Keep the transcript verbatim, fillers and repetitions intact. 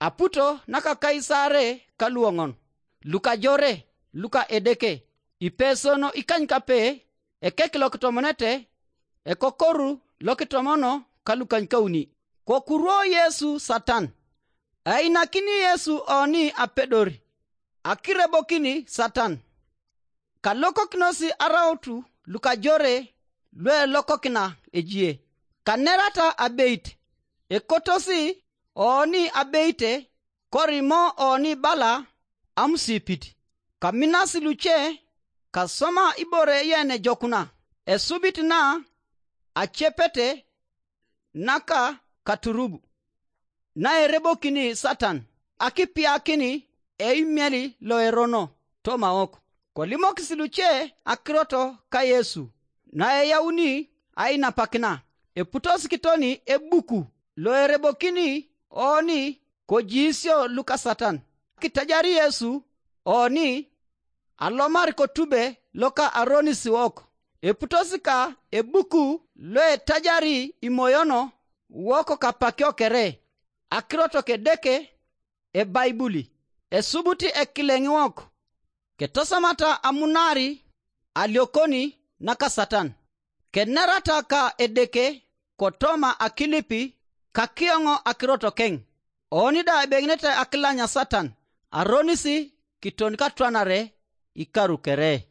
Aputo naka Kaisare ka luoŋon, lukajore, luka Edeke, ipesono ikanykape, ekek lokitomonete, ekokoru lokitomono ka lukanykauni. Kokuruo Yesu Satan. Einakini Yesu oni apedor, akirebokini Satan. Kalokokinosi arautu lukajore luelokokina ejie, kanerata abeit, ekotosi oni abeite, korimo oni bala amusipit. Kaminasi luce, kasoma ibore yenejokuna, esubit na acepete naka katurubu, naerebokini Satan akipiakini eimieli loerono tomaok. Kolimokis luce akirot ka Yesu, naeyauni ainapakina, eputos kitoni ebuku loerebokini oni kojiisio luka Satan. Kitajari Yesu oni alomar kotube loka aronis wok. Eputos ka ebuku loetajari imoyono wok kapakio kere, akirot kedeke, ebaibuli, esubut ekileŋ wok, ketosomata amunari aliokoni naka Satan. Kenerata ka Edeke kotoma akilipi kakioŋ akirot keŋ. Oni da ebeŋinete akilanya Satan, aronisi kiton katwanare ikaru kere.